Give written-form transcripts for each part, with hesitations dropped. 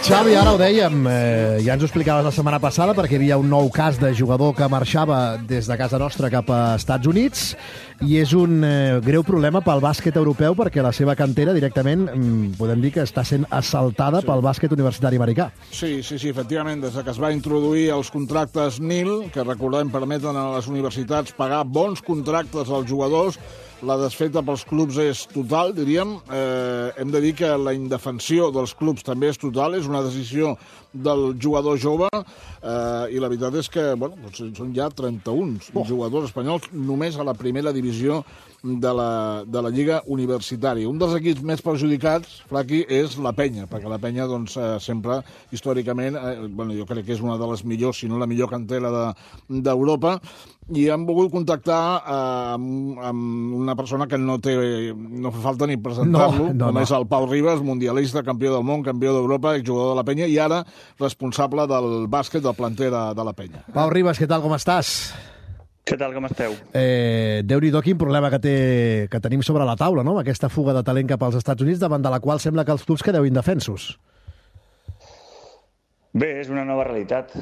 Xavi, ara ho dèiem, ja ens ho explicaves la setmana passada perquè hi havia un nou cas de jugador que marxava des de casa nostra cap a Estats Units i és un greu problema pel bàsquet europeu perquè la seva cantera directament podem dir que està sent assaltada pel bàsquet universitari americà. Sí, efectivament, des que es va introduir els contractes NIL, que recordem permeten a les universitats pagar bons contractes als jugadors, la desfeta pels clubs és total, diríem. Hem de dir que la indefensió dels clubs també és total, és una decisió del jugador jove, i la veritat és que són ja 31 jugadors espanyols només a la primera divisió de la Lliga Universitària. Un dels equips més perjudicats, Flaqui, és la Penya, perquè la Penya sempre, històricament, jo crec que és una de les millors, si no la millor cantera d'Europa, i han volgut contactar amb una persona que no fa falta ni presentar-lo, com és el Pau Ribas, mundialista, campió del món, campió d'Europa, exjugador de la Penya, i ara responsable del bàsquet del planter de la Penya. Pau Ribas, què tal, com estàs? Què tal, com esteu? Déu-n'hi-do quin problema que tenim sobre la taula, no? Aquesta fuga de talent cap als Estats Units, davant de la qual sembla que els clubs quedeu indefensos. Bé, és una nova realitat.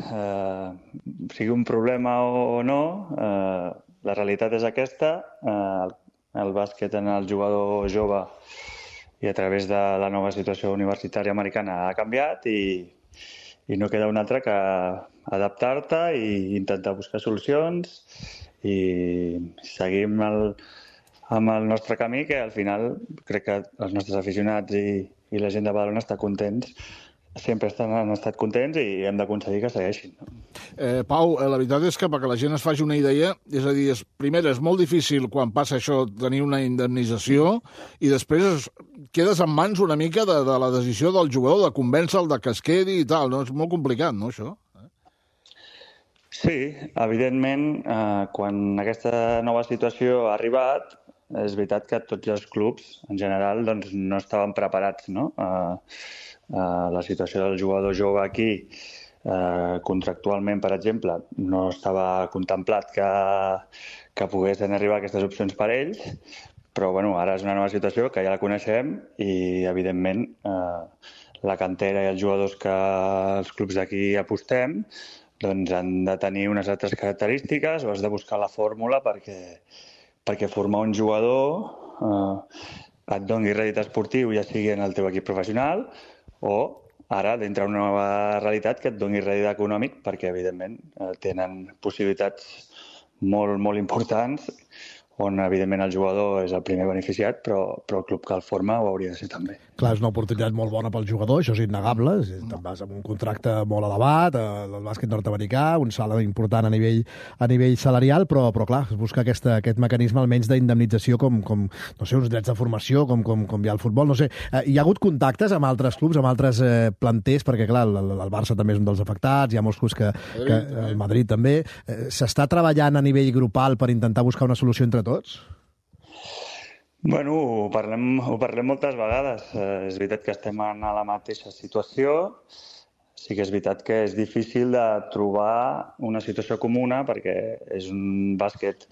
Sigui un problema o no, la realitat és aquesta. El bàsquet en el jugador jove i a través de la nova situació universitària americana ha canviat i no queda una altra que adaptar-te i intentar buscar solucions i seguir amb el nostre camí, que al final crec que els nostres aficionats i la gent de Badalona està contents. Sempre han estat contents i hem d'aconseguir que segueixin. Pau, la veritat és que perquè la gent es faci una idea, és a dir, primer és molt difícil quan passa això tenir una indemnització i després quedes en mans una mica de la decisió del jugador, de convèncer-lo de que es quedi i tal. No? És molt complicat, no, això? Sí, evidentment, quan aquesta nova situació ha arribat, és veritat que tots els clubs, en general, doncs, no estaven preparats, no? La situació del jugador jove aquí, contractualment, per exemple, no estava contemplat que poguessin arribar aquestes opcions per ells, però ara és una nova situació que ja la coneixem i, evidentment, la cantera i els jugadors que els clubs d'aquí apostem doncs han de tenir unes altres característiques o has de buscar la fórmula perquè formar un jugador et doni rèdit esportiu, ja sigui en el teu equip professional, o ara d'entrar en una nova realitat que et doni rèdit econòmic perquè, evidentment, tenen possibilitats molt, molt importants on, evidentment, el jugador és el primer beneficiat, però el club que el forma ho hauria de ser també. Clar, és una oportunitat molt bona pel jugador, això és innegable. Te'n vas amb un contracte molt elevat, el bàsquet nord-americà, un salari important a nivell salarial, però clar, es busca aquest mecanisme almenys d'indemnització com, no sé, uns drets de formació, com hi ha al futbol, no sé. Hi ha hagut contactes amb altres clubs, amb altres planters, perquè, clar, el Barça també és un dels afectats, hi ha molts clubs que el Madrid també. S'està treballant a nivell grupal per intentar buscar una solució entre tots? Bueno, ho parlem moltes vegades. És veritat que estem en la mateixa situació. Sí que és veritat que és difícil de trobar una situació comuna perquè és un bàsquet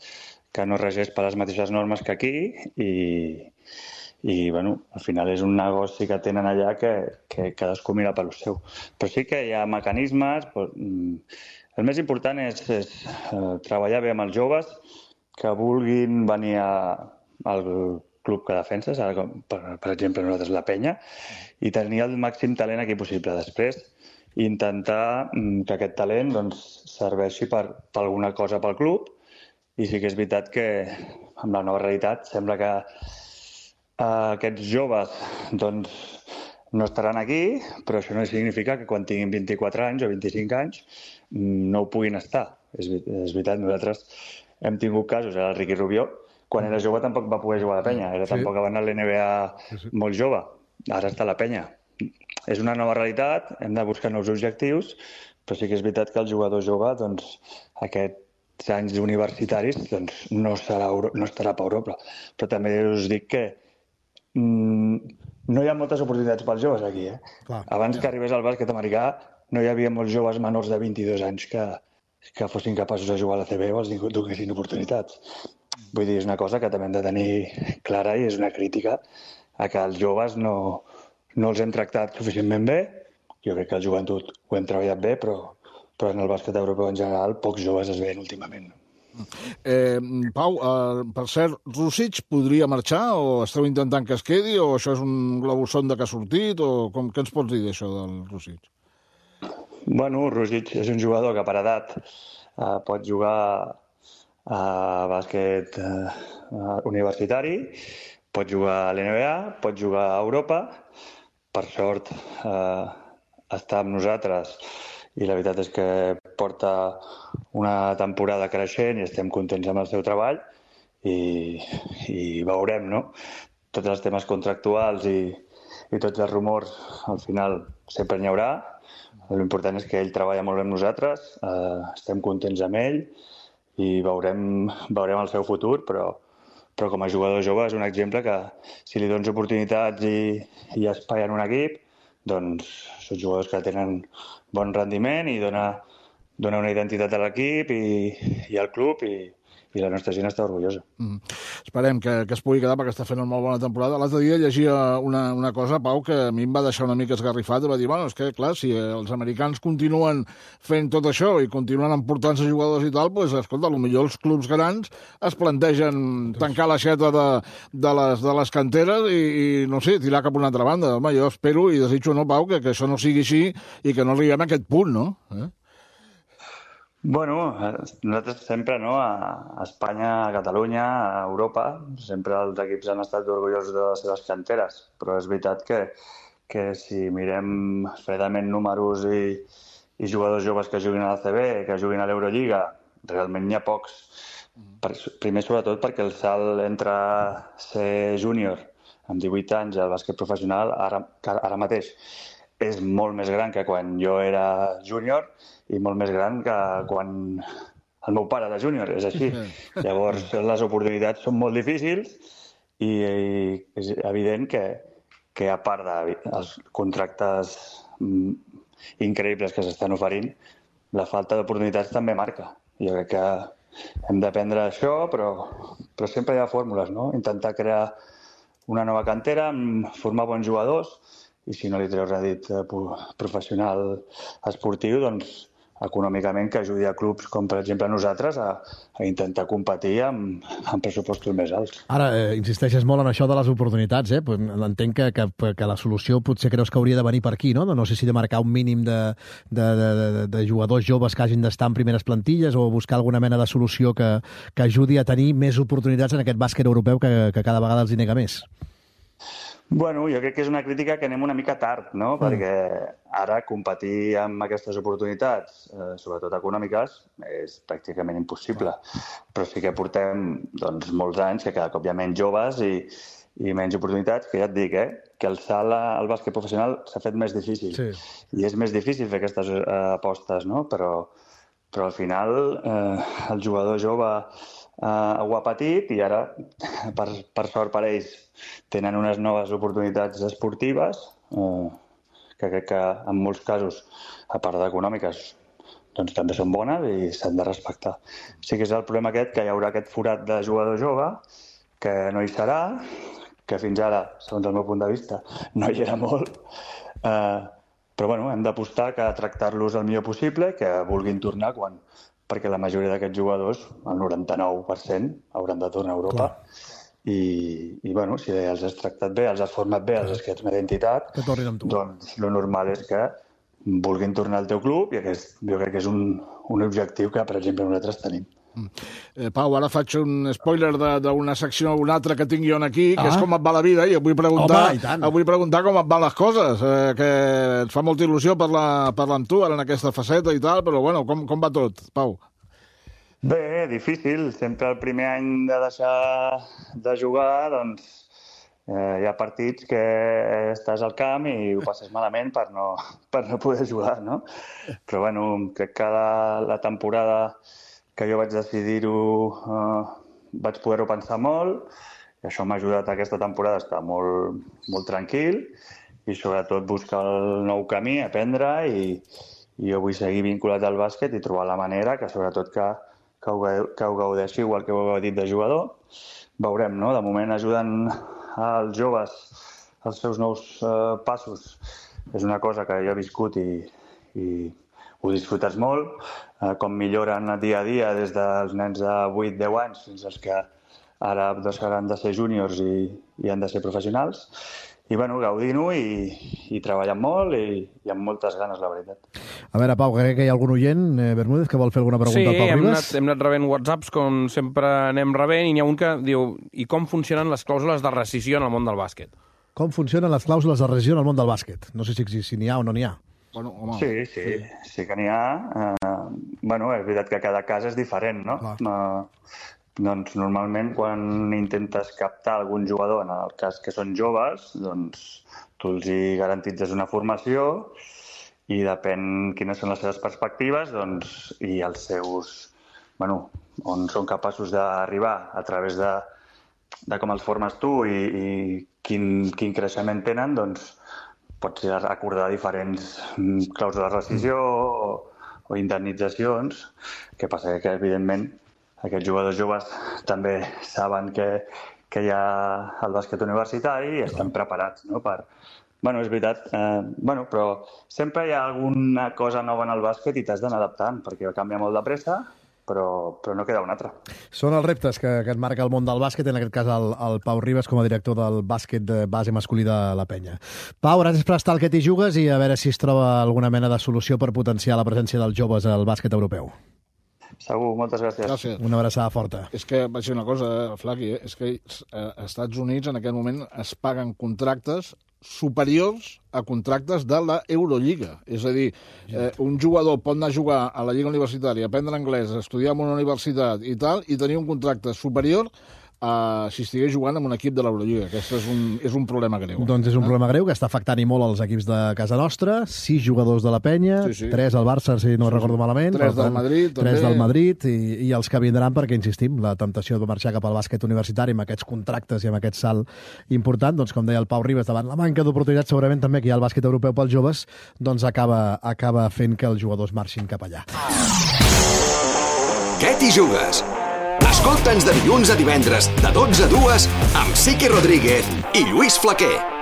que no regeix per les mateixes normes que aquí i al final és un negoci que tenen allà que cadascú mira pel seu. Però sí que hi ha mecanismes. El més important és treballar bé amb els joves que vulguin venir al club que defenses, per exemple nosaltres la Penya, i tenir el màxim talent aquí possible. Després, intentar que aquest talent serveixi per alguna cosa pel club, i sí que és veritat que amb la nova realitat sembla que aquests joves no estaran aquí, però això no significa que quan tinguin 24 anys o 25 anys no ho puguin estar. És veritat, nosaltres hem tingut casos, el Ricky Rubio, quan era jove tampoc va poder jugar a la Penya, tampoc va anar a l'NBA molt jove, ara està a la Penya. És una nova realitat, hem de buscar nous objectius, però sí que és veritat que el jugador jove, aquests anys universitaris, no estarà per Europa. Però també us dic que no hi ha moltes oportunitats pels joves aquí. Abans que arribés al bàsquet americà no hi havia molts joves menors de 22 anys que fossin capaços de jugar a la CB o els donessin oportunitats. Vull dir, és una cosa que també hem de tenir clara i és una crítica a que els joves no els hem tractat suficientment bé jo crec que el joventut ho hem treballat bé, però en el bàsquet europeu en general pocs joves es veien últimament. Pau, per cert, Rússic podria marxar o esteu intentant que es quedi o això és un globus sonda que ha sortit o què ens pots dir d'això del Rússic? Bueno, Rússic és un jugador que per edat pot jugar a bàsquet universitari, pot jugar a l'NBA, pot jugar a Europa. Per sort està amb nosaltres i la veritat és que porta una temporada creixent i estem contents amb el seu treball i veurem, no? Tots els temes contractuals i tots els rumors, al final sempre n'hi haurà. L'important és que ell treballa molt bé amb nosaltres, estem contents amb ell i veurem el seu futur, però com a jugador jove és un exemple que si li dones oportunitats i espai en un equip, doncs són jugadors que tenen bon rendiment i dona una identitat a l'equip i al club i la nostra gent està orgullosa. Esperem que es pugui quedar perquè està fent una molt bona temporada. L'altre dia llegia una cosa, Pau, que a mi em va deixar una mica esgarrifat i va dir, bueno, és que clar, si els americans continuen fent tot això i continuen emportant-se jugadors i tal, doncs, escolta, potser els clubs grans es plantegen tancar l'aixeta de les canteres i no sé, tirar cap a una altra banda. Home, jo espero i desitjo, no, Pau, que això no sigui així i que no arribem a aquest punt, no? Bueno, nosaltres sempre, no, a Espanya, a Catalunya, a Europa, sempre els equips han estat orgullosos de les seves canteres, però és veritat que si mirem fredament números i jugadors joves que juguin a l'ACB, que juguin a l'Eurolliga, realment n'hi ha pocs. Primer, sobretot, perquè el salt entre ser júnior amb 18 anys al bàsquet professional ara mateix és molt més gran que quan jo era júnior i molt més gran que quan el meu pare era júnior, és així. Llavors, les oportunitats són molt difícils i és evident que a part dels contractes increïbles que s'estan oferint, la falta d'oportunitats també marca. Jo crec que hem d'aprendre això, però sempre hi ha fórmules, no? Intentar crear una nova cantera, formar bons jugadors i si no li treus rèdit professional esportiu, doncs econòmicament que ajudi a clubs com, per exemple, nosaltres a intentar competir amb pressupostos més alts. Ara, insisteixes molt en això de les oportunitats, eh? Entenc que la solució potser creus que hauria de venir per aquí, no? No sé si de marcar un mínim de jugadors joves que hagin d'estar en primeres plantilles o buscar alguna mena de solució que ajudi a tenir més oportunitats en aquest bàsquet europeu que cada vegada els hi nega més. Bueno, jo crec que és una crítica que anem una mica tard, no? Perquè ara competir amb aquestes oportunitats, sobretot econòmiques, és pràcticament impossible. Però sí que portem molts anys que cada cop hi ha menys joves i menys oportunitats, que ja et dic, que el salt al bàsquet professional s'ha fet més difícil. Sí. I és més difícil fer aquestes apostes, no? Però al final el jugador jove ho ha patit i ara, per sort per ells, tenen unes noves oportunitats esportives que crec que en molts casos, a part d'econòmiques, doncs també són bones i s'han de respectar. Sí que és el problema aquest, que hi haurà aquest forat de jugador jove, que no hi serà, que fins ara, segons el meu punt de vista, no hi era molt, però bueno, hem d'apostar que tractar-los el millor possible, que vulguin tornar perquè la majoria d'aquests jugadors, el 99%, hauran de tornar a Europa. Clar. I bueno, si els has tractat bé, els has format bé, els has creat una identitat, doncs el normal és que vulguin tornar al teu club i jo crec que és un objectiu que, per exemple, nosaltres tenim. Pau, ara faig un spoiler d'una secció o una altra que tinc jo aquí, que és com et va la vida, i et vull preguntar com et van les coses, que et fa molta il·lusió parlar amb tu ara en aquesta faceta i tal, però bueno, com va tot, Pau? Bé, difícil. Sempre el primer any de deixar de jugar, doncs hi ha partits que estàs al camp i ho passes malament per no poder jugar, no? Però bueno, crec que la temporada que jo vaig decidir-ho vaig poder-ho pensar molt i això m'ha ajudat aquesta temporada a estar molt, molt tranquil i sobretot buscar el nou camí, aprendre i jo vull seguir vinculat al bàsquet i trobar la manera que sobretot que ho gaudeixi igual que ho heu dit de jugador. Veurem, no? De moment ajuden als joves als seus nous passos és una cosa que jo he viscut i ho disfrutes molt, com milloren dia a dia des dels nens de 8-10 anys fins als que ara han de ser júniors i han de ser professionals. I, gaudint-ho i treballant molt i amb moltes ganes, la veritat. A veure, Pau, crec que hi ha algun oient, Bermúdez, que vol fer alguna pregunta al Pau Ribas? Sí, hem anat rebent whatsapps, com sempre anem rebent, i n'hi ha un que diu: i com funcionen les clàusules de rescissió en el món del bàsquet? Com funcionen les clàusules de rescissió en el món del bàsquet? No sé si n'hi ha o no n'hi ha. Bueno, home, sí que n'hi ha. És veritat que cada cas és diferent, no? Doncs normalment quan intentes captar algun jugador, en el cas que són joves, doncs tu els hi garantitzes una formació i depèn quines són les seves perspectives i els seus... on són capaços d'arribar a través de com els formes tu i quin creixement tenen, doncs pots acordar diferents clàusules de rescissió o indemnitzacions. Que passa que, evidentment, aquests jugadors joves també saben que hi ha el bàsquet universitari i estan preparats, no? És veritat, però sempre hi ha alguna cosa nova en el bàsquet i t'has d'anar adaptant, perquè canvia molt de pressa, però no queda una altra. Són els reptes que et marca el món del bàsquet, en aquest cas el Pau Ribas, com a director del bàsquet de base masculí de la Penya. Pau, gràcies per estar al Que t'hi jugues i a veure si es troba alguna mena de solució per potenciar la presència dels joves al bàsquet europeu. Segur, moltes gràcies. Una abraçada forta. És que vaig dir una cosa, Flaqui, és que als Estats Units en aquest moment es paguen contractes superiors a contractes de la Eurolliga. És a dir, un jugador pot anar a jugar a la Lliga Universitària, aprendre anglès, estudiar en una universitat i tal, i tenir un contracte superior si estigués jugant amb un equip de l'Eurolliga. Aquest és un problema greu. Doncs és un problema greu que està afectant i molt els equips de casa nostra. 6 jugadors de la Penya, 3 al Barça, si no recordo malament. 3 del Madrid, també. 3 del Madrid i els que vindran, perquè, insistim, la temptació de marxar cap al bàsquet universitari amb aquests contractes i amb aquest salt important, doncs, com deia el Pau Ribas, davant la manca d'oportunitats segurament també que hi ha el bàsquet europeu pels joves, doncs acaba fent que els jugadors marxin cap allà. Què t'hi jugues? Escolta'ns de dilluns a divendres, de 12 a 2, amb Siqui Rodríguez i Lluís Flaquer.